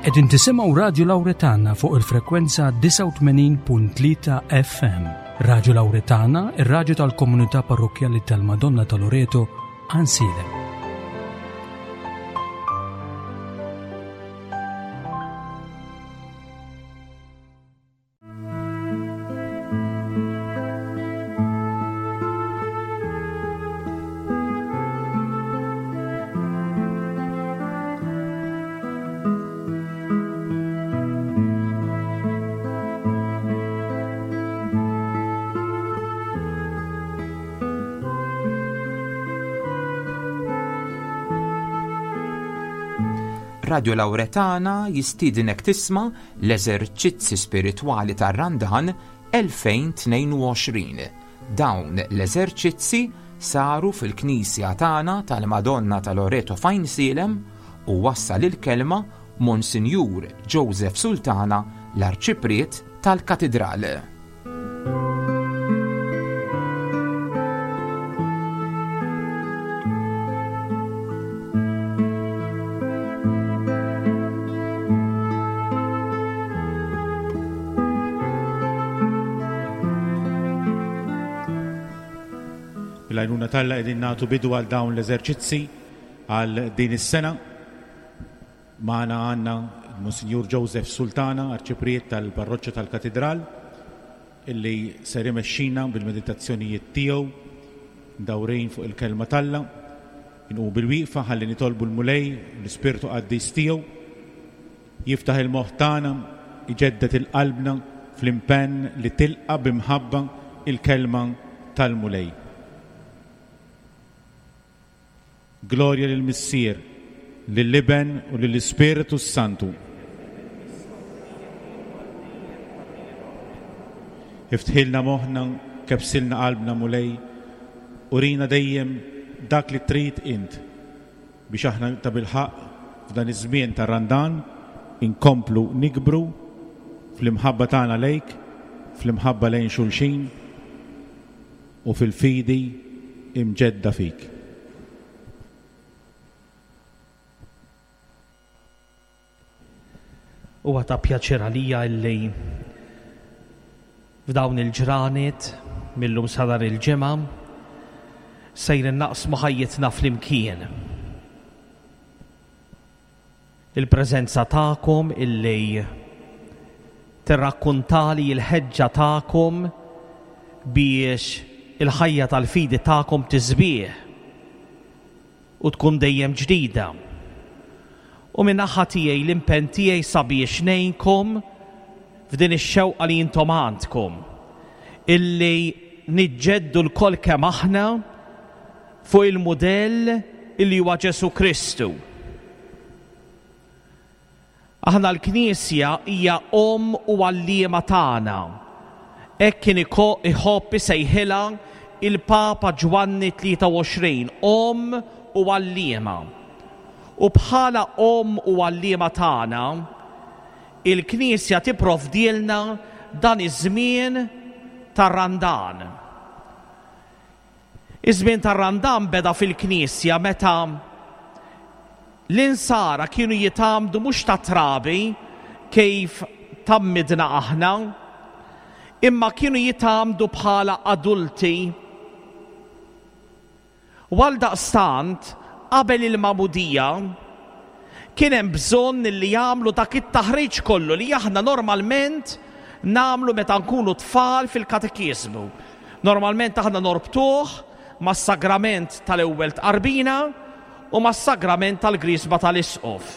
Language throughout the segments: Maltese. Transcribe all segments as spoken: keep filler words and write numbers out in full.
Qegħdin tisimgħu Radio Lauretana fuq il-frekwenza disgħa u tmenin punt tlieta F M. Radio Lauretana, ir-radju tal-komunità parrokkjali tal-Madonna ta' Loreto, Għajnsielem. Radio Lauretana jistiedinek tisma' l-eżerċizzi spiritwali tar-Randan elfejn u tnejn u għoxrin. Dawn l-eżerċizzi saru fil-Knisja tagħna tal-Madonna ta' Loreto f'Għajnsielem u wassal il-kelma Monsinjur Joseph Sultana, l-Arċipriet tal-Katidral. Bil-għajnuna t'Alla qegħdin nagħtu bidu għal dawn l-eżerċizzi għal din is-sena. Magħna għandna Monsinjur Joseph Sultana, Arċipriet tal-Parroċċa tal-Katidral, illi ser imexxina bil-meditazzjonijiet tiegħu dawrin fuq il-kelma t'Alla. Inqumu bil-wieqfa ħalli nitolbu l-Mulej, l-Ispirtu Qaddis tiegħu, jiftaħ il-moħħ tagħna, iġedded il-qalbna fl-impenn li tilqa' b'imħabba il-kelma tal-Mulej. Glorja lill-Missier, lill-Iben u lill-Ispiritu Santu. Iftħilna moħħna, kebbsilna qalbna, Mulej, urina dejjem dak li trid int biex aħna ta' bilħaqq f'dan iż-żmien tar-Randan inkomplu nikbru fl-imħabba tagħna lejk, fl-imħabba lejn xulxin u fil-fidi imġedda fik. Huwa ta' pjaċir għalija illi f'dawn il-ġranet mil-lum sa nhar il-Ġimgħa sejrin naqsmu ħajjitna flimkien. Il-preżenza tagħkom illi tirrakkuntali l-ħeġġa tagħkom biex il-ħajja tal-fidi tagħkom tisbieħ u tkun dejjem ġdida. U min-naħa tiegħi l-impenn tiegħi sabiex ngħinkom f'din ix-xewqa li intom għandkom illi niġġeddu lkoll kemm aħna fuq il-mudell illi huwa Ġesu Kristu. Aħna l-Knisja hija omm u għalliema tagħna. Hekk kien iħobb isejħilha il-Papa Ġwanni tlieta u għoxrin, omm u għalliema. U bħala omm u għalliema tagħna, il-Knisja tipprovdielna dan iż-żmien tar-Randan. Iż-żmien tar-Randan beda fil-Knisja meta l-insara kienu jitgħammdu mhux ta' trabi kif tgħammidna aħna, imma kienu jitgħammdu bħala adulti. U għal daqstant, qabel il-magħmudija, kien hemm bżonn li jagħmlu dak it-taħriġ kollu li aħna normalment nagħmlu meta nkunu tfal fil-katekiżmu. Normalment aħna norbtuh mas-sagrament tal-ewwel tqarbina u mas-sagrament tal-Griżma tal-Isqof.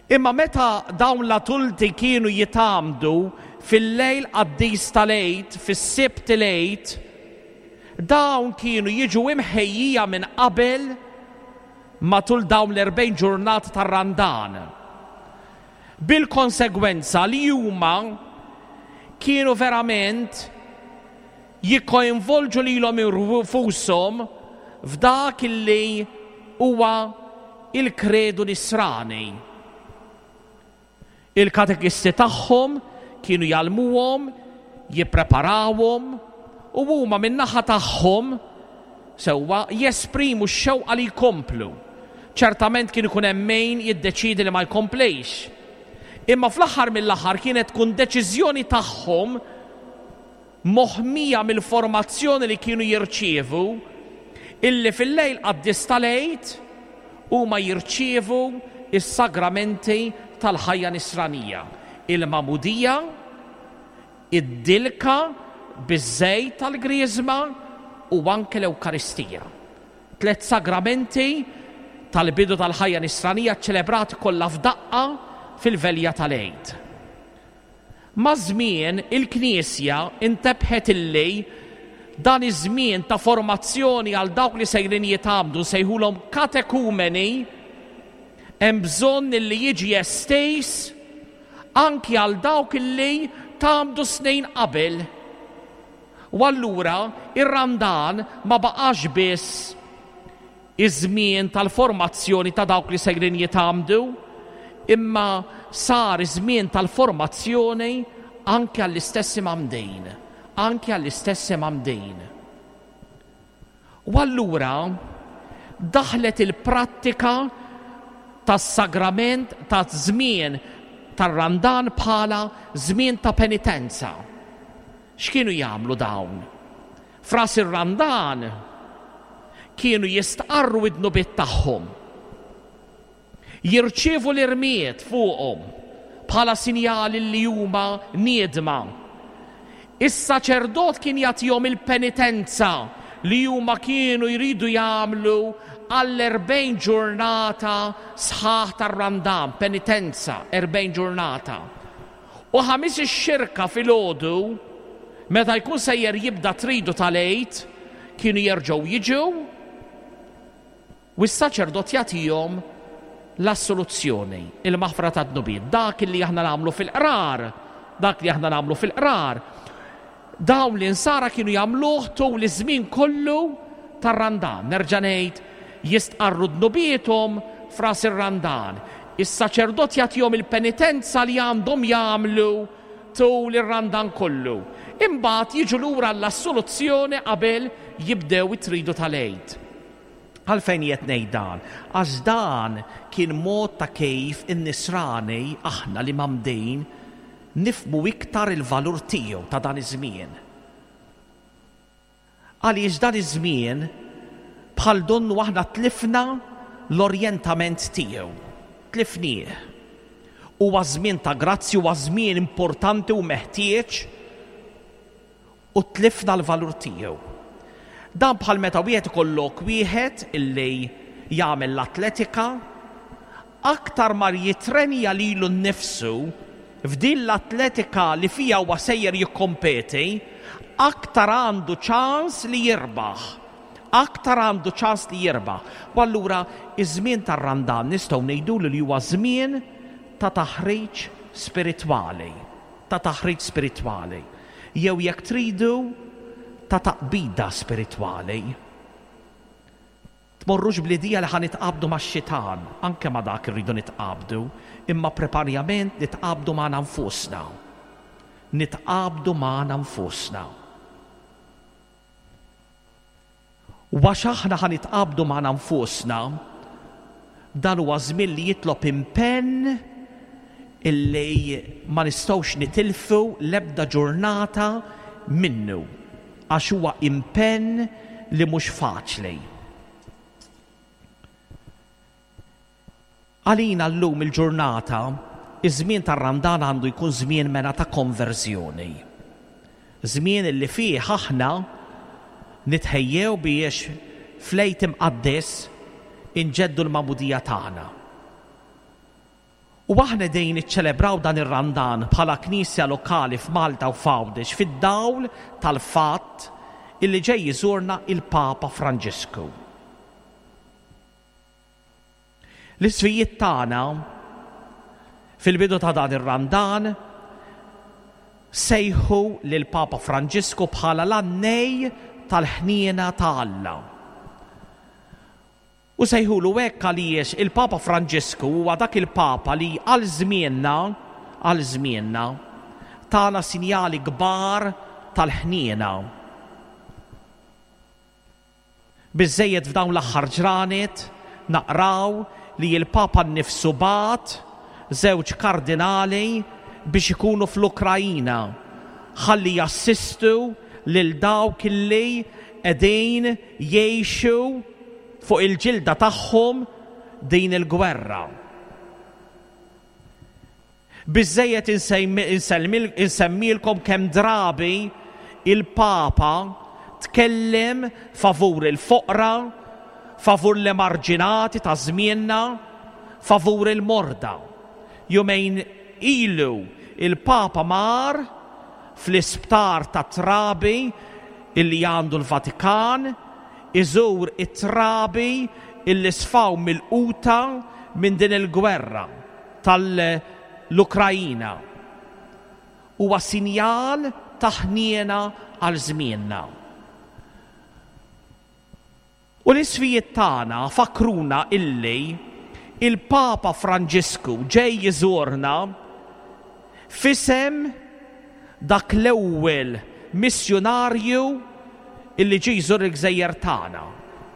Imma meta dawn l-adulti kienu jitgħammdu fil-lejl qaddis tal-Għid, fis-Sibt il-Għid, dawn kienu jiġu imħejjija minn qabel matul dawn l-erbgħin ġurnata tar-Randan. Bil-konsegwenza li huma kienu verament jikkoinvolġu lilhom infushom f'dak illi huwa il-kredu nisrani. Il-katekisti tagħhom kienu jgħallmuhom, jippreparawhom u huma min-naħa tagħhom sewwa jesprimu x-xewqa li jkomplu. Ċertament kien ikun hemm min jiddeċiedi li ma jkomplix. Imma fl-aħħar mill-aħħar kienet tkun deċiżjoni tagħhom moħmija mill-formazzjoni li kienu jirċievu, illi fil-lejl qaddis tal-Għid huma jirċievu is-sagramenti tal-ħajja nisranija, il-magħmudija, id-dilka biż-żejt tal-griżma u anke l-Ewkaristija. Tliet sagramenti tal-bidu tal-ħajja nisranija ċelebrati kollha f'daqqa fil-velja tal-Għid. Maż-żmien il-Knisja intebħet illi dan iż-żmien ta' formazzjoni għal dawk li sejrin jitgħammdu, sejħulhom katekumeni, hemm bżonn illi jiġi estiż anki għal dawk illi tgħammdu snin qabel. U allura ir-Randan ma baqax biss iż-żmien tal-formazzjoni ta' dawk li sejrin jitgħammdu, imma sar iż-żmien tal-formazzjoni anke għall-istess imgħammdin, anke għall-istess imgħammdin. U allura daħlet il-prattika tas-sagrament ta' żmien tar-Randan bħala żmien ta' penitenza. X'kienu jagħmlu dawn? F'ras ir-Randan kienu jistqarru id-dnubiet tagħhom, jirċievu l-irmied fuqhom bħala sinjali li huma niedma. Is-saċerdot kien jagħtihom il-penitenza li huma kienu jridu jagħmlu għall-erbgħin ġurnata sħaħ tar-Randan, penitenza, erbgħin ġurnata. U ħamis ix-xirka filgħodu, meta jkun sejjer jibda tridu tal-Għid, kienu jerġgħu jiġu u s-saċerdot jagħtihom l-assoluzzjoni, il-maħfra ta' dnubiet. Dak li aħna nagħmlu fil-qrar, dak li aħna nagħmlu fil-qrar, dawn l-insara kienu jagħmluh tul iż-żmien kollu tar-Randan. Nerġa' ngħid, jistqarru dnubiethom f'ras ir-Randan. Is-saċerdot jagħtihom il-penitenza li għandhom jagħmlu tul ir-Randan kollu. Imbagħad jiġu lura l-assoluzzjoni qabel jibdew it-tridu tal-Għid. Għalfejn qed ngħid dan? Għax dan kien mod ta' kif in-nisrani aħna li mamdejn nifmu iktar il-valur tiegħu ta' dan iż-żmien. Għaliex dan iż-żmien bħal donnu aħna tlifna l-orjentament tiegħu, tlifnieh. Huwa żmien ta' grazzi, huwa żmien importanti u meħtieġ, u tlifna l-valur tiegħu. Dan bħal meta wieħed ikollok wieħed illi jagħmel l-atletika, aktar mar jitrenja lilu nnifsu f'din l-atletika li fija huwa sejjer jikkompeti, aktar għandu ċans li jirbaħ. Aktar għandu ċans li jirbaħ. U allura iż-żmien tar-Randan nistgħu ngħidulu li huwa żmien ta' taħriġ spiritwali, ta' taħriġ spiritwali. Jew jekk tridu ta' taqbida spiritwali. Tmorrux bl-idea li ħa nitqabdu max-xitan, anke ma' dak irridu nitqabdu, imma preparjament nitqabdu magħna nfusna. Nitqabdu magħna nfusna. U għax aħna ħa nitqabdu magħna nfusna, dan huwa żmien li jitlob impenn illi ma nistgħux nitilfu l-ebda ġurnata minnu, għax huwa impenn li mhux faċli. Għalina llum il-ġurnata, iż-żmien tar-Randan għandu jkun żmien mena ta' konverżjoni. Żmien li fih aħna nitħejjew biex fl-Għid imqaddes inġeddu l-magħmudija tagħna. U aħna dejn iċċelebraw dan ir-Randan bħala knisja lokali f'Malta u f'Għawdex fid-dawl tal-fatt illi ġej jiżurna il-Papa Franġisku. L-isfijiet tagħna fil-bidu ta' dan ir-Randan sejħu lil Papa Franġisku bħala l-annej tal-ħniena ta' Alla. U sejħulu hekk għaliex il-Papa Franġisku huwa dak il-Papa li għal żmienna, għal żmienna, tana sinjali kbar tal-ħniena. Biżżejjed f'dawn l-aħħar ġranet naqraw li l-Papa nnifsu bagħat żewġ kardinali biex ikunu fl-Ukrajina ħalli jassistu lil dawk li qegħdin jgħixu fuq il-ġilda tagħhom din il-gwerra. Biżżejjed insemmilkom kemm drabi il-Papa tkellem favur il-foqra, favur l-emarġinati ta' żmienna, favur il-morda. Jumejn ilu il-Papa mar fl-isptar ta' trabi illi għandu l-Vatikan, iżur it-trabi illi sfaw mill-quta minn din il-gwerra tal-Ukrajina. Huwa sinjal ta' ħniena għal żmienna. U l-isfijiet tagħna fakruna illi il-Papa Franġisku ġej jiżurna f'isem dak l-ewwel missjunarju illi ġie jżur il-gżejjer tagħna,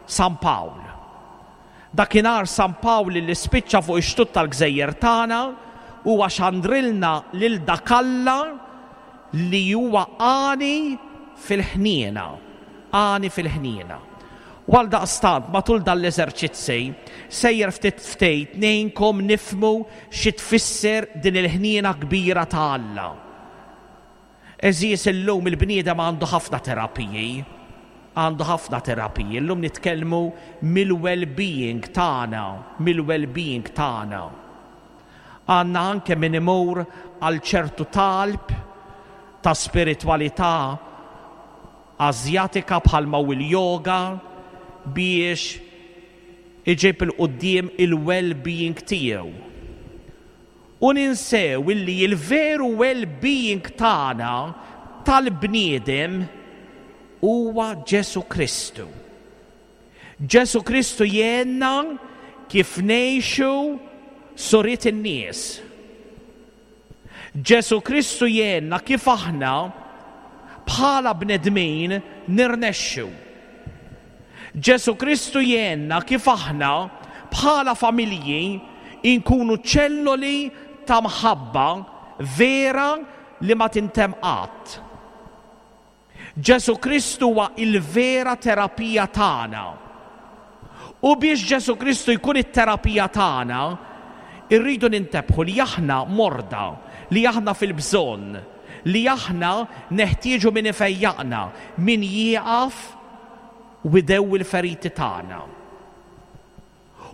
San Pawl. Dakinhar San Pawl li spiċċa fuq ix-xtut tal-gżejjer tagħna huwa xandrilna lil dak Alla li huwa għani fil-ħniena, għani fil-ħniena. U għaldaqstant matul dan l-eżerċizzi sejjer ftit ftit ngħinkom nifhmu xi tfisser din il-ħniena kbira ta' Alla. Għeżież, illum il-bniedem għandu ħafna terapiji, għandu ħafna terapiji. Illum nitkellmu mill-well-being tagħna, mill-well-being tagħna. Għandna anke min imur għal ċertu talb ta' spiritwalità Azjatika bħalma u l-yoga biex iġib il-quddiem il-well-being tiegħu. U ninsew illi il-veru well-being tagħna tal-bniedem huwa Ġesu Kristu. Ġesu Kristu jgħinna kif ngħixu suriet in-nies. Ġesu Kristu jgħinna kif aħna bħala bnedmin nirnexxu. Ġesu Kristu jgħinna kif aħna bħala familji inkunu ċelloli ta' mħabba vera li ma tintemm qatt. Ġesu Kristu huwa il-vera terapija tagħna. U biex Ġesu Kristu jkun it-terapija tagħna, irridu nintebħu li aħna morda, li aħna fil-bżonn, li aħna neħtieġu min ifejjaqna, min jieqaf u jdewwi l-feriti tagħna.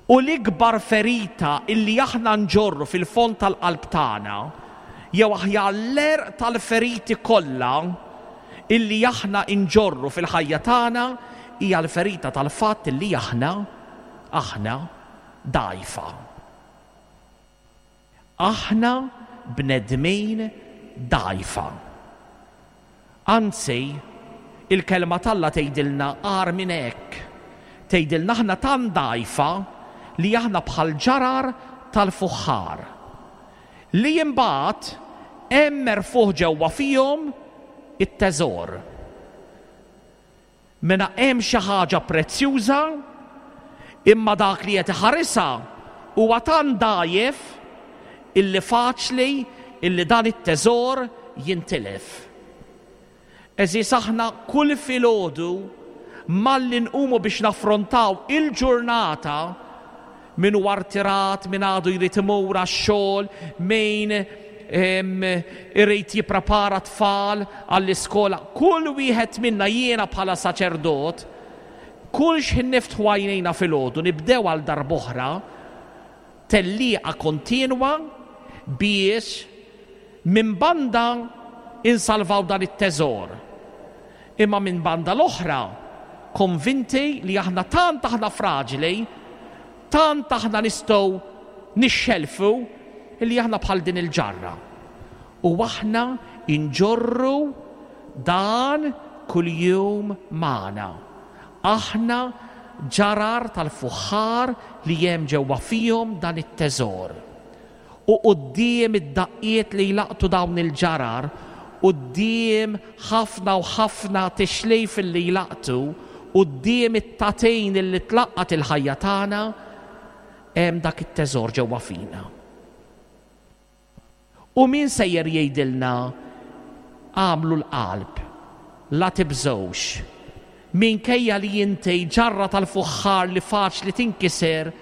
U l-ikbar ferita illi aħna nġorru fil-fond tal-qalb tagħna, jew aħjar l-għerq tal-feriti kollha illi aħna nġorru fil-ħajja tagħna, hija l-ferita tal-fatt illi aħna aħna dgħajfa. Aħna bnedmin dgħajfa. Anzi, il-kelma t'Alla tgħidilna agħar minn hekk. Tgħidilna aħna tant dgħajfa li aħna bħal ġarar tal-fuħħar. Li imbagħad hemm merfuħ ġewwa fihom it-teżor. Mela hemm xi ħaġa prezzjuża, imma dak li qed iħarisha huwa tant dgħajjef illi faċli illi dan it-teżor jintilef. Għeżież, aħna kull filgħodu malli nqumu biex naffrontaw il-ġurnata, min huwa rtirat, min għadu jrid imur għax-xogħol, min irid jipprepara tfal għall-iskola, kull wieħed minna, jiena bħala saċerdot, kull x'ħin niftħu għajnejna filgħodu nibdew għal darb'oħra tellieqa kontinwa biex minn banda insalvaw dan it-teżor, imma minn banda l-oħra konvinti li aħna tant aħna fraġili, tant aħna nistgħu nixxelfu li aħna bħal din il-ġarra. U aħna inġorru dan kuljum magħna. Aħna ġarar tal-fuħħar li hemm ġewwa fihom dan it-teżor. U quddiem id-daqqiet li jlaqtu dawn il-ġarar, quddiem ħafna u ħafna tixlejf li jlaqtu, quddiem it-tatejn li tlaqqat il-ħajja tagħna, Hemm dak it-teżor ġewwa fina. U min sejjer jgħidilna għamlu l-qalb, la tibżgħux. Minkejja li inti ġarra tal-fuħħar li faċli tinkiser,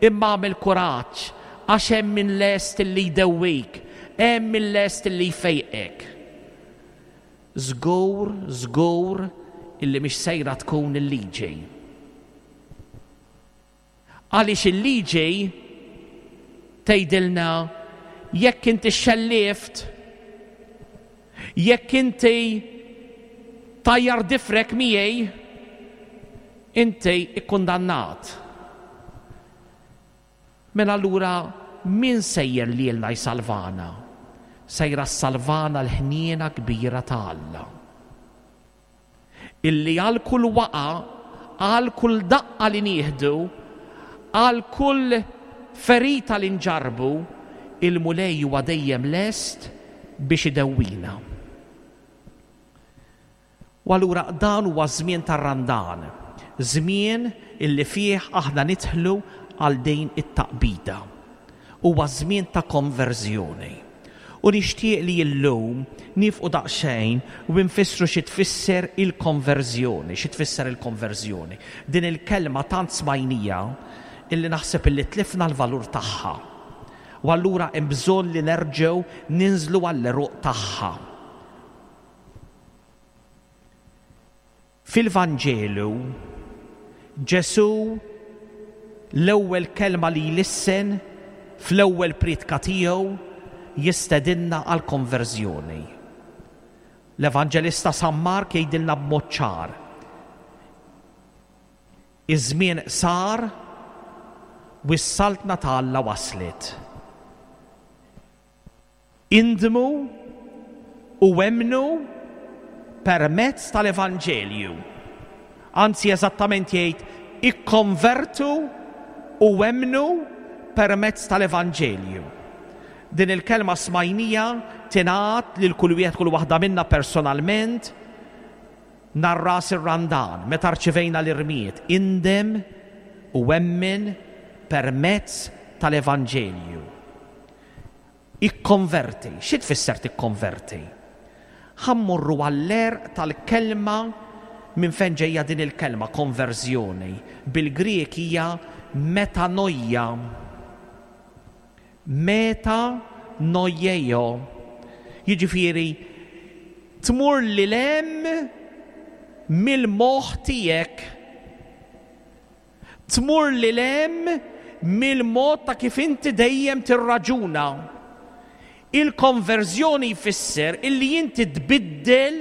imma għamel kuraġġ, għax hemm min lest li jdewwik, hemm min lest li jfejqek. Żgur, żgur illi mhix sejra tkun il-liġi. Għaliex il-liġi tgħidilna jekk inti xellift, jekk inti tajjar difrek miegħi, inti ikkundannat. Mela allura min sejjer lilna jsalvana? Sejra salvana l-ħniena kbira ta' Alla. Illi għal kull waqa, għal kull daqqa li nieħdu, għal kull ferita li nġarbu, il-Mulej huwa dejjem lest biex idewwina. U allura dan huwa żmien tar-Randan, żmien illi fih aħna nidħlu għal din it-taqbida. Huwa żmien ta' konverżjoni. U nixtieq li llum nifqu daqsxejn u nfissru xi tfisser il-konverżjoni, xi tfisser il-konverżjoni. Din il-kelma tant smajnija illi naħseb illi tlifna l-valur tagħha. U allura hemm bżonn li nerġgħu ninżlu għall-għeruq tagħha. Fil-Vanġelu Ġesù l-ewwel kelma li jlissen fl-ewwel priedka tiegħu jistedinna għal konverżjoni. L-Evanġelista San Mark jgħidilna b'mod ċar. Iż-żmien sar u s-saltna ta' Alla waslet. Indmu u emmnu permezz tal-Evanġelju. Anzi, eżattament jgħid ikkonvertu u emmnu permezz tal-Evanġelju. Din il-kelma smajnija tingħad lil kull wieħed kull waħda minna personalment nhar ras ir-Randan meta rċivejna l-irmied. Indem u emmen permezz tal-Evanġelju. Ikkonverti. Xi tfisser tikkonverti? Ħa mmorru għall-għerq tal-kelma minn fejn ġejja din il-kelma konverżjoni. Bil-Grieg hija metanoia. Metanoieo. Jiġifieri tmur lil hemm mill-moħħ tiegħek. Tmur lil hemm mill-mod ta' kif inti dejjem tirraġuna. Il-konverżjoni jfisser illi inti tbiddel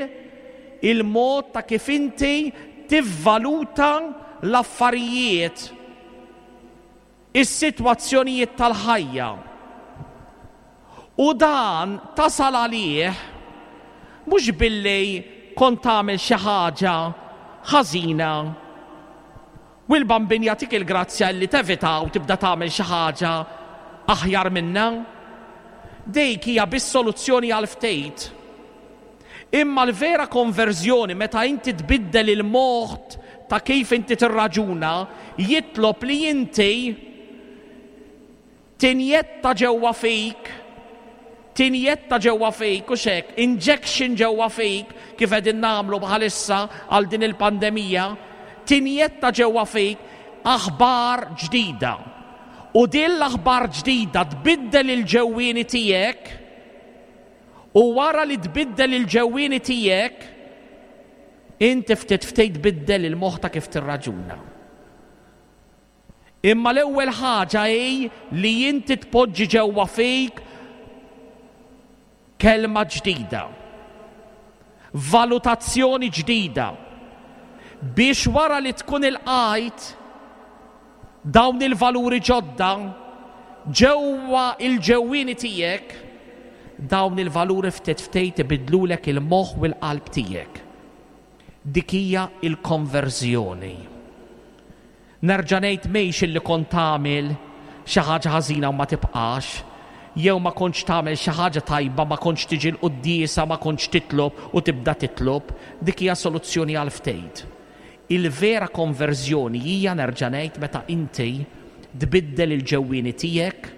il-mod ta' kif inti tivvaluta l-affarijiet, is-sitwazzjonijiet tal-ħajja. U dan tasal għalih mhux billi kont tagħmel xi ħaġa ħażina u l-Bambin jagħtik il-grazzja li tevita u tibda tagħmel xi ħaġa aħjar minna. Dik hija biss soluzzjoni għal ftit. Imma l-vera konverżjoni meta inti tbiddel il-mod ta' kif inti tirraġuna jitlob li inti tinjetta ġewwa fik, tinjetta ġewwa fik u xek, injection ġewwa fik kif qegħdin nagħmlu bħalissa għal din il-pandemija, tinjetta ġewwa fik aħbar ġdida. U din l-aħbar ġdida tbiddel il-ġewwieni tiegħek, u wara li tbiddel il-ġewwieni tiegħek, inti ftit ftit tbiddel il-moħħ ta' kif tirraġuna. Imma l-ewwel ħaġa hi li inti tpoġġi ġewwa fik kelma ġdida, valutazzjoni ġdida, biex wara li tkun ilqajt dawn il-valuri ġodda ġewwa il-ġewwieni tiegħek, dawn il-valuri ftit ftit ibidlulek il-moħħ u l-qalb tiegħek. Dik hija l-konverżjoni. Nerġa' ngħid mhix illi kont tagħmel xi ħaġa ħażina u ma tibqax, jew ma kontx tagħmel xi ħaġa tajba, ma kontx tiġi l-quddiesa, ma kontx titlob u tibda titlob, dik hija soluzzjoni għal ftit. Il-vera konverżjoni hija, nerġa' ngħid, meta inti Tbiddel il-ġewwieni tiegħek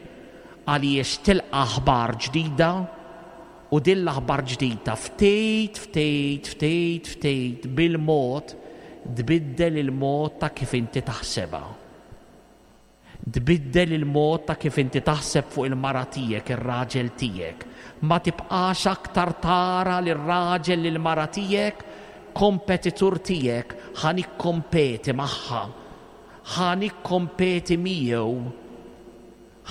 għaliex tilqa' aħbar ġdida u din l-aħbar ġdida ftit, ftit, ftit, ftit bil-mod tbiddel il-mod ta' kif inti taħsebha. Tbiddel il-mod ta' kif inti taħseb fuq il-mara tiegħek, ir-raġel tiegħek. Ma tibqax aktar tara lir-raġel lil-mara tiegħek kompetitur tiegħek, ħa nikkompeti magħha, ħa nikkompeti miegħu,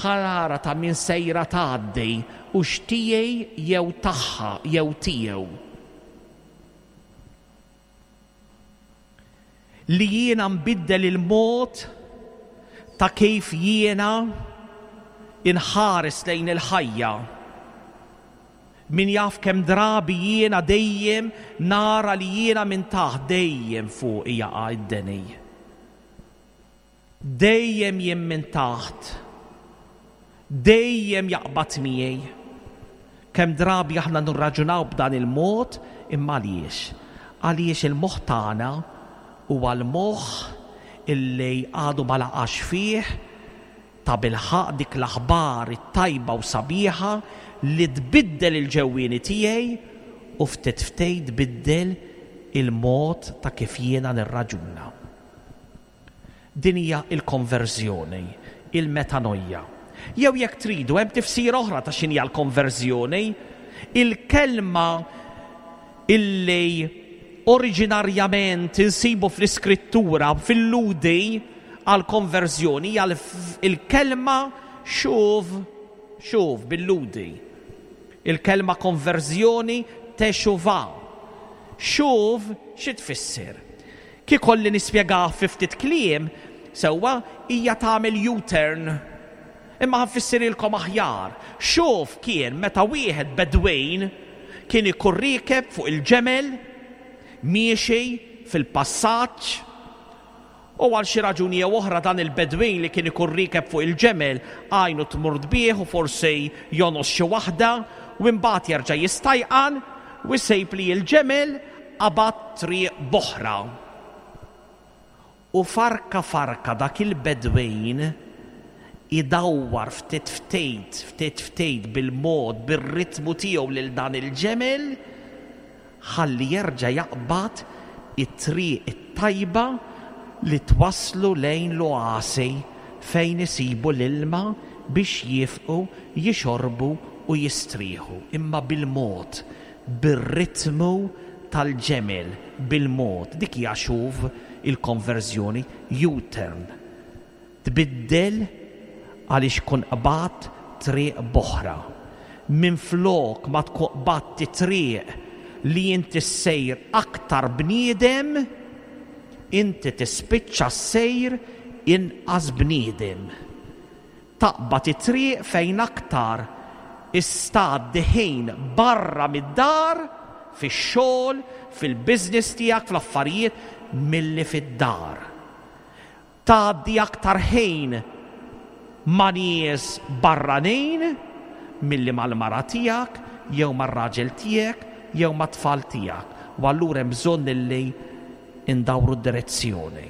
ħa nara ta' min sejra tgħaddi u x'tiegħi jew tagħha jew tiegħu. Li jiena nbiddel il-mod ta' kif jiena inħares lejn il-ħajja. Min jaf kemm drabi jiena dejjem nara li jiena minn taħt dejjem fuq jaqa' id-deni. Dejjem jien minn taħt. Dejjem jaqbad miegħi. Kemm drabi aħna nirraġunaw b'dan il-mod, imma għaliex? Għaliex il-moħħ tagħna huwa l-moħħ illi għadu ma laqax fih ta' bilħaq dik l-aħbar it-tajba u sabiħa li tbiddel il-ġewwieni tiegħi u ftit ftit tbiddel il-mod ta' kif jiena nirraġuna. Din hija l-konverżjoni, il-metanoja. Jew jekk tridu hemm tifsira oħra ta' x'inhi l-konverżjoni, il-kelma illi oriġinarjament insibu fl-iskrittura fil-Ludi għal-konverżjoni hija il-kelma xuv, xuv bil-Ludi. Il-kelma konverżjoni teshuva. Xuv xi tfisser? Kif kolli nispjega fi ftit kliem, sewwa hija tagħmel U-turn. Imma ħanfissirilkom aħjar. Xuv kien meta wieħed bedwejn kien ikun riekeb fuq il-ġemel miexi fil-passaġġ u għal xi raġuni jew oħra dan il-bedwin li kien ikun riekeb fuq il-ġemel għajnu tmur tbih u forsi jonos xi waħda u mbagħad jerġa' jistajqan u jsejb li l-ġemel qabad triq b'oħra. U farka farka dak il-bedwin idawwar ftit ftit, ftit ftit bil-mod, bir-ritmu tiegħu lil dan il-ġemel ħalli jerġa' jaqbad it-triq it-tajba li twaslu lejn l-oasi fejn isibu l-ilma biex jifqu, jixorbu u jistrieħu. Imma bil-mod, bir-ritmu tal-ġemel, bil-mod. Dik hija xuv il-konverżjoni, U-turn. Tbiddel għaliex kun qbad triq b'oħra. Minflok ma tkun qbadt triq li inti ssejr aktar bniedem, inti tispiċċa ssejr inqas bniedem. Taqbad it-triq fejn aktar istgħaddi ħin barra mid-dar, fix-xogħol, fil-business tiegħek, fl-affarijiet, milli fid-dar. Tgħaddi aktar ħin ma' nies barranin milli mal-mara tiegħek jew mar-raġel tiegħek jew mat-tfal tiegħek. U allura hemm bżonn illi indawru d-direzzjoni.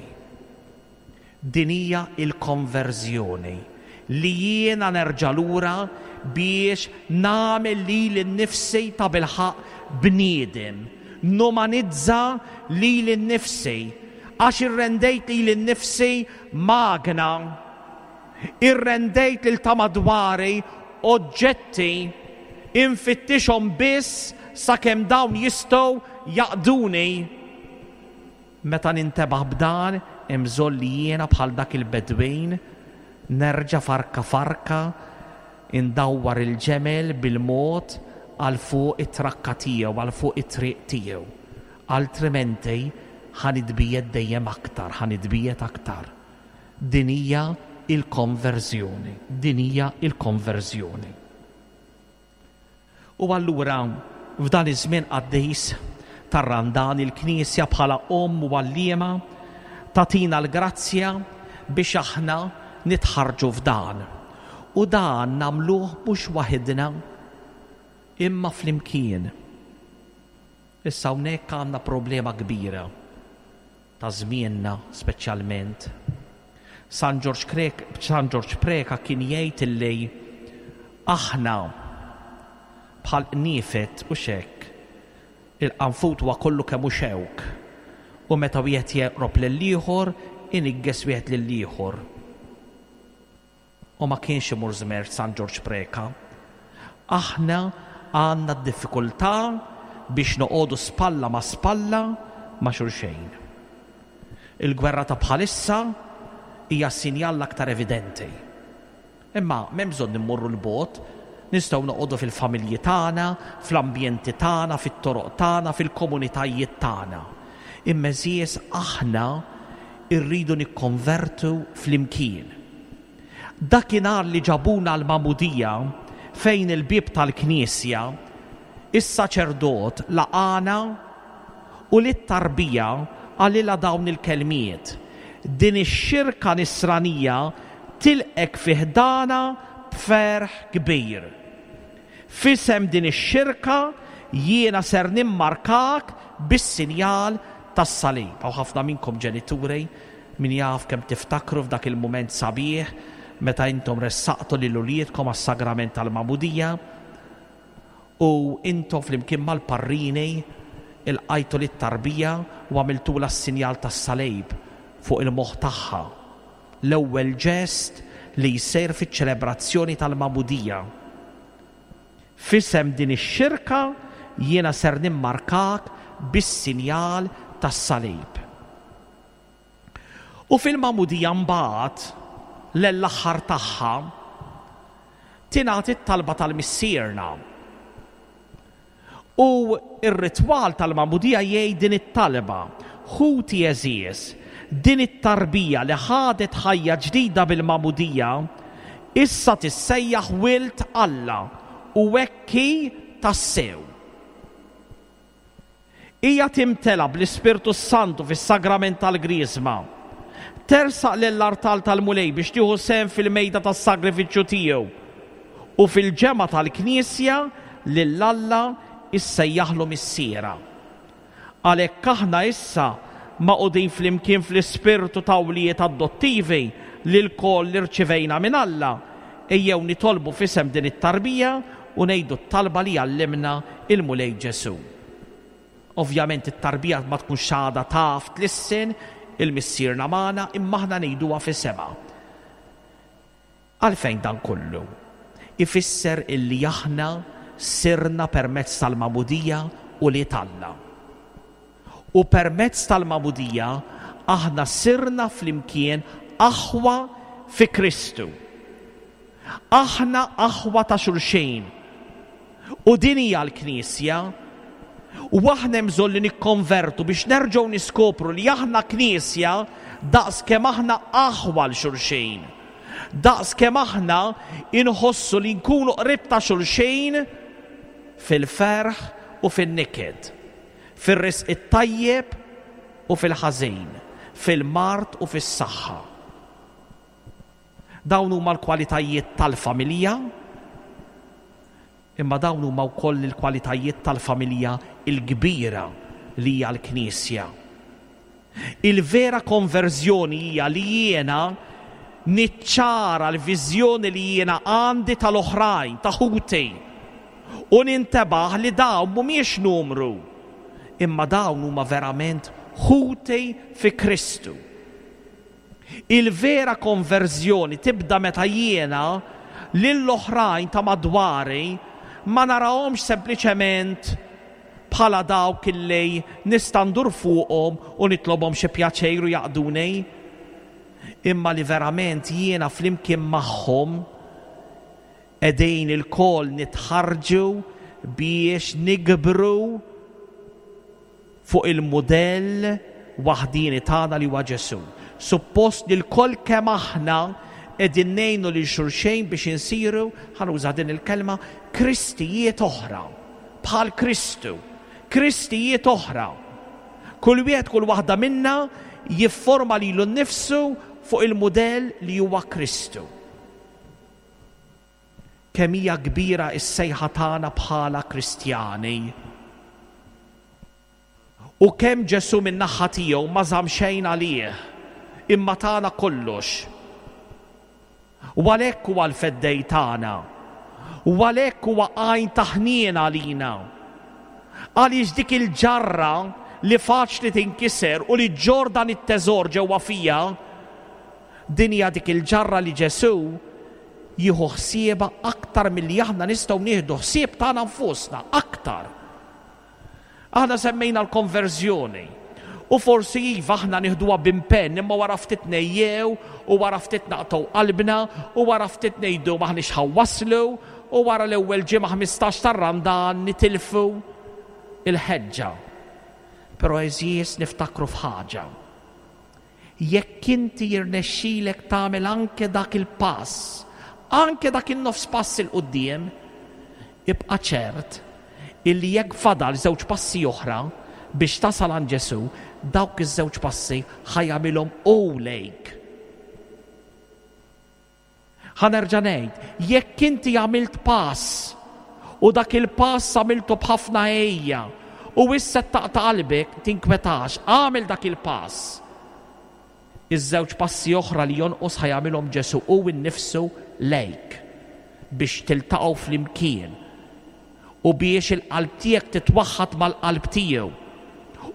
Din hija l-konverżjoni li jiena nerġa' lura biex nagħmel lili nnifsi ta' bilħaq bniedem, numanizza lili nnifsi għax irrendejt lili nnifsi magna, irrendejt lil ta' madwari oġġetti infittixhom biss sakemm dawn jistgħu jaqduni. Meta nintebaħ b'dan, hemm bżonn li jiena bħal dak il-bedwin nerġa' farka farka indawwar il-ġemel bil-mod għal fuq it-trakka tiegħu, għal fuq it-triq tiegħu. Altrimenti ħa nitbiegħed dejjem aktar, ħa nitbiegħed aktar. Din hija il-konverżjoni, din hija il-konverżjoni. U allura f'dan iż-żmien qaddis tar-Randan il-Knisja bħala omm u għalliema tagħtina l-grazzja biex aħna nitħarġu f'dan. U dan nagħmluh mhux waħedna imma flimkien. Issa hawnhekk għandna problema kbira ta' żmienna speċjalment. San Ġorġ Krek, San Ġorġ Preka kien jgħid illi aħna bħal qniefed u xek, il-qanfut huwa kollu kemm hu xewk, u meta wieħed jeqrob lill-ieħor inigges wieħed lill-ieħor. U ma kienx imur żmer San Ġorġ Preka. Aħna għandna d-diffikultà biex noqogħdu spalla ma' spalla ma' xulxejn. Il-gwerra ta' bħalissa hija sinjal l-aktar evidenti. Imma m'hemm bżonn immorru l-bogħod, nistgħu noqogħdu fil-familji tagħna, fl-ambjenti tagħna, fit-toroq tagħna, fil-komunitajiet tagħna. Imma għeżież aħna rridu nikkonvertu flimkien. Dakinhar li ġabuna l-magħmudija fejn il-bieb tal-knisja, is-saċerdot laqana u lit-tarbija qalilha dawn il-kelmiet: din ix-xirka nisranija tilqek fi ħdana b'ferħ kbir. F'isem din ix-xirka jiena ser nimmarkak bis-sinjal tas-salib. Hawn ħafna minnkom ġenituri, min jaf kemm tiftakru f'dak il-mument sabiħ meta intom ressaqtu lil uliedkom għas-sagrament tal-magħmudija u intom flimkien mal-parrini ilqajtu lit-tarbija u għamiltulha s-sinjal tas-salib fuq il-moħħ tagħha. L-ewwel ġest li jsir fiċ-ċelebrazzjoni tal-magħmudija. F'isem din ix-xirka jiena ser nimmarkak bis-sinjal tas-salib. U fil-magħmudija mbagħad l-aħħar tagħha tingħati t-talba tal-Missierna. U r-ritwal tal-magħmudija jgħid din it-talba: ħuti għeżież, din it-tarbija li ħadet ħajja ġdida bil-magħmudija issa tissejjaħ wild Alla u hekk hi tassew. Hija timtela bl-Ispirtu Santu fis-sagrament tal-Griżma. Tersaq lill-artal tal-Mulej biex tieħu sehem fil-mejda tas-sagrifiċċju tiegħu u fil-ġemgħa tal-Knisja lil Alla issejjaħlu missiera. Għalhekk aħna issa magħqudin flimkien fl-ispirtu ta' wlied adottivi li lkoll irċivejna minn Alla, ejjew nitolbu f'isem din it-tarbija u ngħidu t-talba li għallimna il-Mulej Ġesù. Ovvjament it-tarbija ma tkunx għadha taf tlissen il-Missierna magħna, imma aħna ngħiduha f'isimha. Għalfejn dan kollu? Ifisser illi aħna sirna permezz tal-magħmudija u li Alla. U permezz tal-magħmudija aħna sirna flimkien aħwa fi Kristu. Aħna aħwa ta' xulxin. U din hija l-Knisja. U aħna hemm bżonn li nikkonvertu biex nerġgħu niskopru li aħna Knisja daqs kemm aħna aħwa l xulxin. Daqs kemm aħna inħossu li nkunu qrib ta' xulxin fil-ferħ u fin-niket, fir-risq it-tajjeb u fil-ħażin, fil-mard u fis-saħħa. Dawn huma l-kwalitajiet tal-familja, imma dawn huma wkoll il-kwalitajiet tal-familja l-kbira li hija l-Knisja. Il-vera konverżjoni hija li jiena niċċara l-viżjoni li jiena għandi tal-oħrajn, ta' ħuti, u nintebaħ li dawn mhumiex numru, imma dawn huma verament ħuti fi Kristu. Il-vera konverżjoni tibda meta jiena lill-oħrajn ta' madwari ma narahomx sempliċement bħala dawk illi nista' ndur fuqhom u nitlobhom xi pjaċir u jaqduni, imma li verament jiena flimkien magħhom qegħdin ilkoll nitħarġu biex nikbru fuq il-mudell waħdini tagħna li huwa Ġesù. Suppost li lkoll kemm aħna qegħdin ngħinu lil xulxejn biex insiru, ħa nuża din il-kelma, Kristijiet oħra, bħal Kristu, Kristijiet oħra. Kull wieħed, kull waħda minna jifforma lilu nnifsu fuq il-mudell li huwa Kristu. Kemm hija kbira s-sejħa tagħna bħala Kristjani. U kemm Ġesù min-naħa tiegħu ma żamm xejn għalih, imma tagħna kollox. U għalhekk huwa l-feddej tagħna. U għalhekk huwa għajn ta' ħniena għalina. Għaliex dik il-ġarra li faċli tinkiser u li ġġorr dan it-teżor ġewwa fija, din hija dik il-ġarra li Ġesù jieħu ħsiebha aktar milli aħna nistgħu nieħdu ħsieb tagħna nfusna, aktar. Aħna semmejna l-konverżjoni. U forsi iva aħna nieħduha b'impenn, imma wara ftit nejjew, u wara ftit naqtgħu qalbna, u wara ftit ngħidu m'aħniex ħa waslu, u wara l-ewwel ġimgħa ħmistax tar-Randan nitilfu il-ħeġġa. Però għeżież niftakru f'ħaġa. Jekk inti jirnexxilek tagħmel anke dak il-pass, anke dak in-nofs pass 'il quddiem, ibqa' ċert illi jekk fadal żewġ passi oħra biex tasal għand Ġesù, dawk iż-żewġ passi ħa jagħmilhom hu lejk. Ħa nerġa' ngħid, jekk inti għamilt pass u dak il-pass għamiltu b'ħafna ejja u issa taqta' qalbek, tinkwetax, għamel dak il-pass. Iż-żewġ passi oħra li jonqos ħa jagħmilhom Ġesù hu nnifsu lejk biex tiltaqgħu flimkien u biex il-qalb tiegħek titwaħħad mal-qalb tiegħu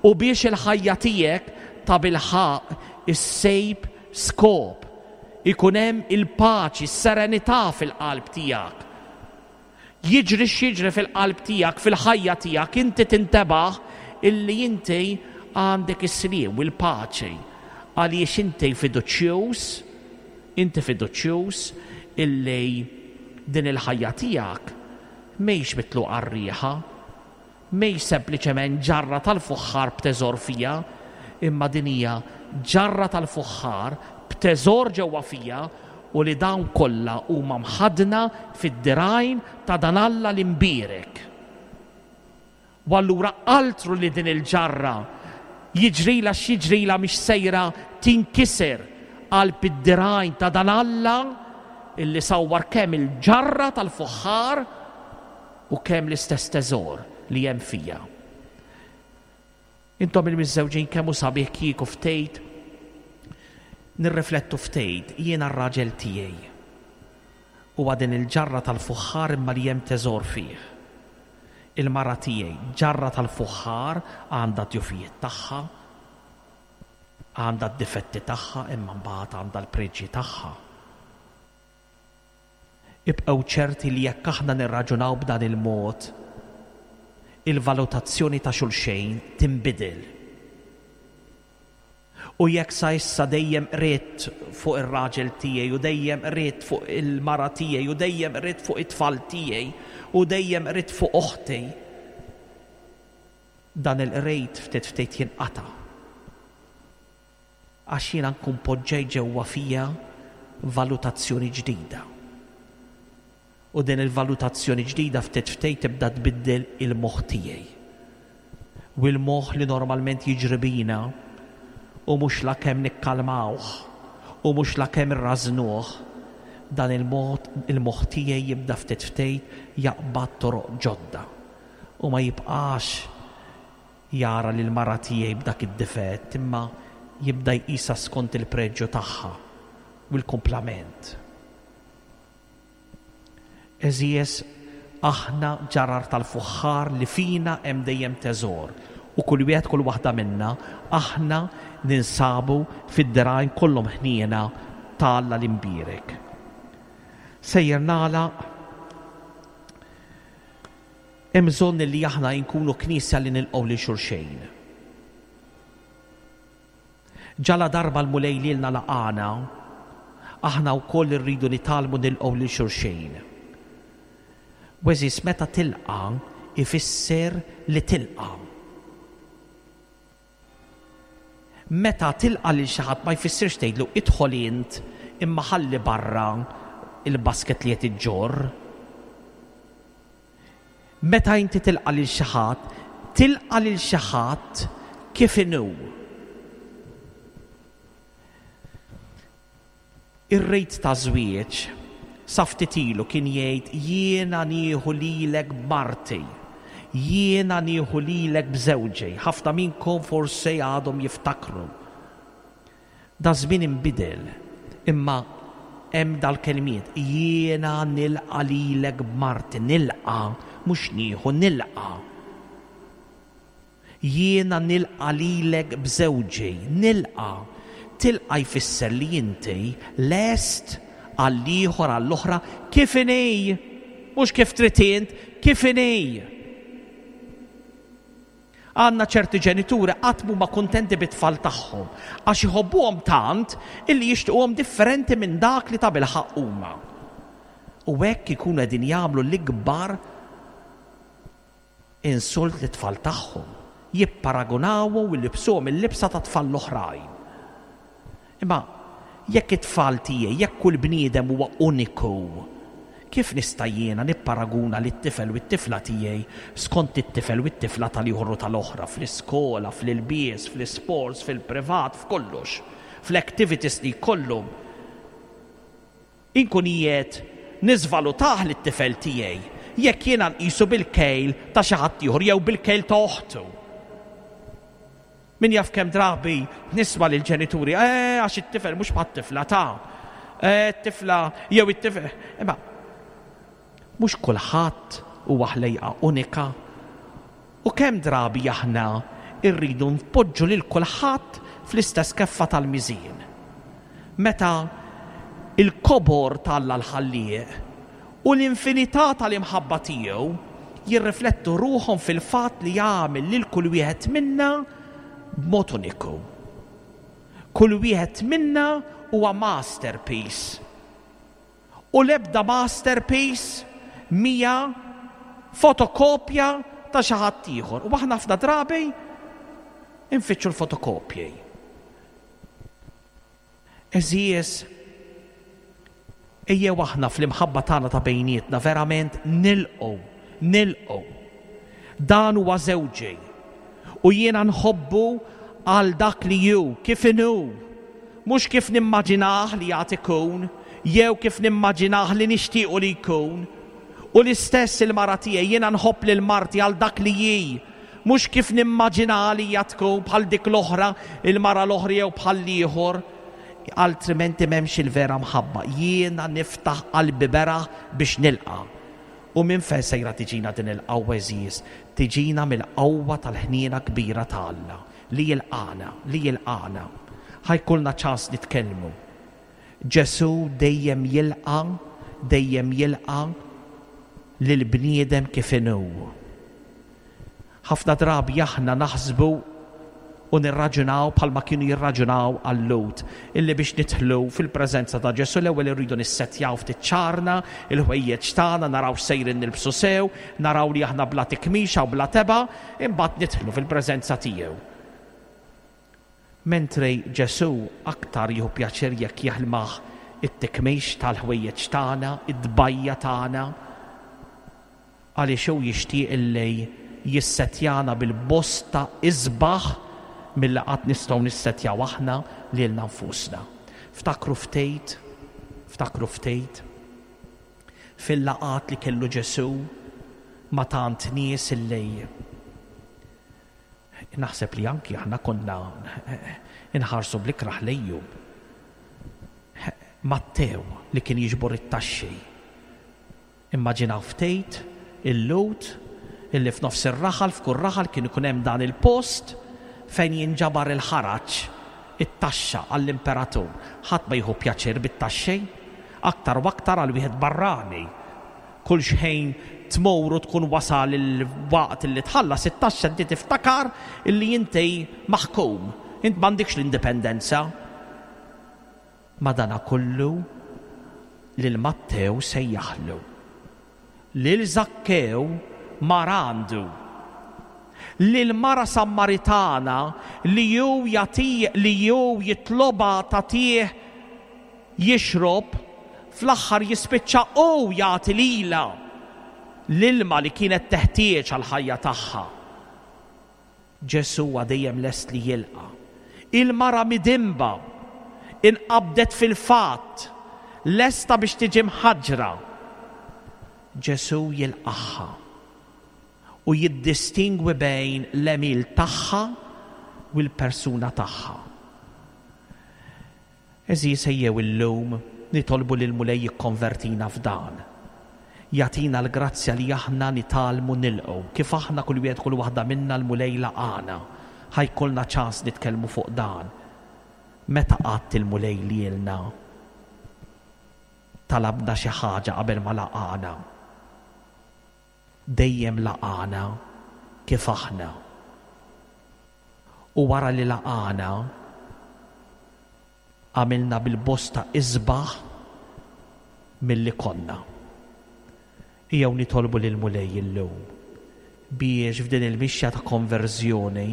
u biex il-ħajja tiegħek ta' bilħaq issejb skop, ikun hemm il-paċi, s-serenità fil-qalb tiegħek. Jiġri x'jiġri fil-qalb tiegħek, fil-ħajja tiegħek, inti tintebaħ illi inti għandek is-sliem u l-paċi. Għaliex inti fiduċjuż, inti fiduċjuż illi din il-ħajja tiegħek mhijiex mitluqa għar-riħa, mhijiex sempliċement ġarra tal-fuħħar b'teżor fija, imma din hija ġarra tal-fuħħar b'teżor ġewwa fija u li dawn kollha huma mħaddna fid-dirgħajn ta' dan Alla l-imbierek. U allura altru li din il-ġarra jiġrila x'jiġrila mhix sejra tinkiser qalb id-dirgħajn ta' dan Alla illi sawwar kemm il-ġarra tal-fuħħar u kemm l-istess teżor li hemm fija. Intom il-miżżewġin kemm hu sabiħ kieku ftejt nirriflettu ftejt jiena r-raġel tiegħi. Huwa din il-ġarra tal-fuħħar imma li hemm teżor fih. Il-mara tiegħi ġarra tal-fuħħar għandha d-djufijiet tagħha, għandha d-difetti tagħha, imma mbagħad għandha l-preġji tagħha. Ibqgħu ċerti li jekk aħna nirraġunaw b'dan il-mod, il-valutazzjoni ta' xulxejn tinbidel. U jekk sa issa dejjem qriet fuq ir-raġel tiegħi u dejjem qriet fuq il-mara tiegħi u dejjem qriet fuq it-tfal tiegħi u dejjem qriet fuq oħti, dan il-qrejt ftit ftit jinqata'. Għax jiena nkun poġġej ġewwa fija valutazzjoni ġdida. U din il-valutazzjoni ġdida ftit ftit tibda tbiddel il-moħħ tiegħi. U l-moħħ li normalment jiġri bina u mhux la kemm nikkalmawh u mhux la kemm irrażnuh, dan il-mod il-moħħ tiegħi jibda ftit ftit jaqbad toroq ġodda u ma jibqax jara lil mara tiegħi b'dak id-difett, imma jibda jqisha skont il-preġju tagħha u l-kumplament. Għeżież, aħna ġarar tal-fuħħar li fina hemm dejjem teżor u kull wieħed kull waħda minna aħna ninsabu fid-dirgħajn kollhom ħniena ta' Alla l-imbierek. Sejjer nagħlaq. Hemm bżonn li aħna nkunu knisja li nilqgħu lil xulxejn. Ġala darba l-Mulej lilna laqana, aħna wkoll irridu nitgħallmu nilqgħu lil xulxejn. Għeżież, meta tilqa' ifisser li tilqa'. Meta tilqa' lil xi ħadd ma jfissirx tgħidlu idħol int imma ħalli barra il-basket li qed iġġorr. Meta inti tilqa' lil xi ħadd, tilqa' lil xi ħadd kif inhu. Ir-rejt ta' żwieġ sa ftit ilu kien jgħid jiena nieħu lilek b'marti, jiena nieħu lilek b'żewġi. Ħafna minnkom forsi għadhom jiftakru. Da żmien inbidel, imma hemm dal-kelmiet, jiena nilqa' lilek b'marti, nilqa', mhux nieħu, nilqa'. Jiena nilqa' lilek b'żewġi, nilqa'. Tilqa' jfisser li inti lest għall-ieħor, għall-oħra, kif inhi, mhux kif trid int, kif inhi. Għandna ċerti ġenituri qatt mhuma kuntenti bit-tfal tagħhom għax iħobbuhom tant illi jixtiequhom differenti minn dak li tabilħaqq huma. U hekk ikunu qegħdin jagħmlu l-ikbar insult lit-tfal tagħhom, jipparagunawhom u jlibbsuhom il-libsa ta' tfal l-oħrajn. Imma jekk it-tfal tiegħi, jekk kull bniedem huwa uniku, kif nista' jiena nipparaguna lit-tifel u t-tifla tiegħi skont it-tifel u t-tifla tal-ieħor u tal-oħra fl-iskola, fl-ilbies, fl-isports, fil-privat, f'kollox, fl-activities li jkollhom? Inkun qiegħed niżvalutah lit-tifel tiegħi jekk jiena nqisu bil-kejl ta' xi ħadd ieħor jew bil-kejl ta' oħtu. Min jaf kemm drabi nisma' lill-ġenituri, eh, għax it-tifel mhux bħat-tifla ta' eh, it-tifla jew it-tifel. Imma mhux kulħadd huwa ħlejqa unika. U kemm drabi aħna rridu npoġġu lil kulħadd fl-istess keffa tal-miżien. Meta il-kobor t'Alla l-ħallieq u l-infinità tal-imħabba tiegħu jirriflettu ruħhom fil-fatt li jagħmel lil kull wieħed minna b'mod uniku. Kull wieħed minna huwa masterpiece. U l-ebda masterpiece mija fotokopja ta' xi ħadd ieħor. U aħna ħafna drabi infittxu l-fotokopji. Għeżież, ejjew aħna fl-imħabba tagħna ta' bejnietna verament nilqgħu, nilqgħu. Dan huwa żewġi u jiena nħobbu għal dak li hu, kif inhu, mhux kif nimmaġinah li jagħti ikun, jew kif nimmaġinah li nixtiequ li jkun. U l-istess il-mara tiegħi, jiena nħobb lil marti għal dak li hi, mhux kif nimmaġinah li hija tkun bħal dik l-oħra, il-mara l-oħra jew bħal ieħor. Altrimenti m'hemmx il-vera mħabba. Jiena niftaħ qalbi beraħ biex nilqa'. U minn fejn sejra tiġina din il-qawwa, għeżież? Tiġina mill-qawwa tal-ħniena kbira ta' Alla li jilqana, li jilqana. Ħa jkollna ċans nitkellmu. Ġesù dejjem jilqa', dejjem jilqa' lil bniedem kif inhu. Ħafna drabi aħna naħsbu u nirraġunaw bħalma kienu jirraġunaw għal-Lhud, illi biex nidħlu fil-preżenza ta' Ġesù l-ewwel irridu nissettjaw ftit ċarna, il-ħwejjeġ tagħna, naraw x'sejrin nilbsu sew, naraw li aħna bla tikmixa u bla teba', imbagħad nidħlu fil-preżenza tiegħu. Mentre Ġesù aktar jieħu pjaċir jekk jaħlmaħ it-tikmix tal-ħwejjeġ tagħna, id-dbajja tagħna, għaliex hu jixtieq illi jissettjana bil-bosta isbaħ mill-li qatt nistgħu nissettjaw aħna lilna nfusna. Ftakru ftejt, ftakru ftejt fil-laqat li kellu Ġesù ma' tant nies illi naħseb li anki aħna konna inħarsu bl-ikraħ lejhom. Mattew li kien jiġbor it-taxxi. Immaġinaw ftejt il-Lhud illi f'nofs ir-raħal, f'kull raħal kien ikun hemm dan il-post fejn jinġabar il-ħaraġ, it-taxxa għall-imperatur. Ħadd ma jieħu pjaċir bit-taxxi, aktar u aktar għal wieħed barrani. Kull xejn tmur u tkun wasal il-waqt illi tħallas it-taxxa, inti tiftakar illi inti maħkum, int m'għandikx l-indipendenza. Madana kollu lil Mattew sejjaħlu. Lil Zakkew mar għandu. Lil mara Sammaritana li ju jati, li ju jitloba tatih jixrob, fl-aħħar jispiċċa u jagħti lilha l-ilma li kienet teħtieġ għall-ħajja tagħha. Ġesù huwa dejjem lest li jilqa'. Il-mara midimba inqabdet fil-fatt, lesta biex tiġi mħaġra. Ġesù jilqaħħa u jiddistingwi bejn l-għemil tagħha u l-persuna tagħha. Għeżież, ejjew illum Nitolbu lill-Mulej jikkonvertina f'dan. Jagħtina l-grazzja li aħna nitgħallmu nilqgħu, kif aħna kull wieħed kull waħda minna l-Mulej laqana. Ħa jkollna ċans nitkellmu fuq dan. Meta qatt il-Mulej lilna talabna xi ħaġa qabel ma laqana? Dejjem laqana kif aħna. U wara li laqana għamilna bil-bosta isbaħ milli konna. Ejjew nitolbu lill-Mulej illum biex f'din il-mixja ta' konverżjoni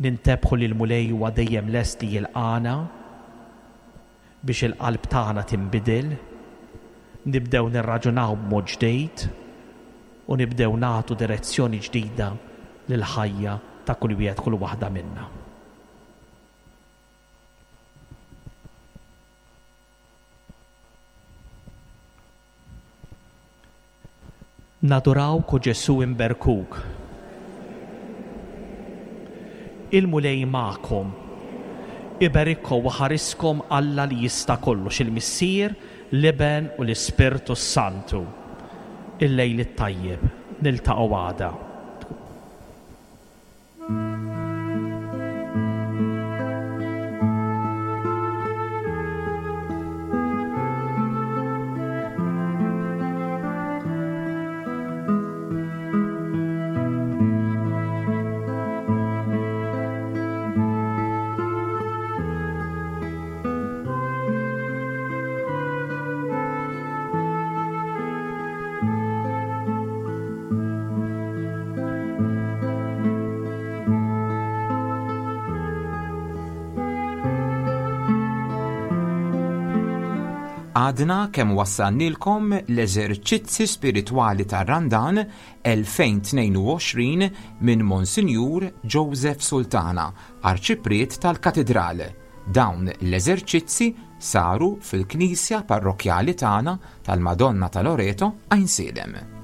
nintebħu li l-Mulej huwa dejjem lest li jilqana biex il-qalb tagħna tinbidel, nibdew nirraġunaw b'mod ġdid u nibdew nagħtu direzzjoni ġdida lill-ħajja ta' kull wieħed kull waħda minna. Nadurawk o Ġesù imberkuk. Il-Mulej magħkom. Iberikkom u ħariskom Alla li jista' kollox, il-Missier, l-Iben u l-Ispirtu s-Santu. Il-lejl it-tajjeb, niltaqgħu għada. Għadna kemm wassalnilkom l-eżerċizzi spiritwali tar-Randan elfejn tnejn u għoxrin minn Monsinjur Joseph Sultana, Arċipriet tal-Katidral. Dawn l-eżerċizzi saru fil-Knisja Parrokkjali tagħna tal-Madonna ta' Loreto, Għajnsielem.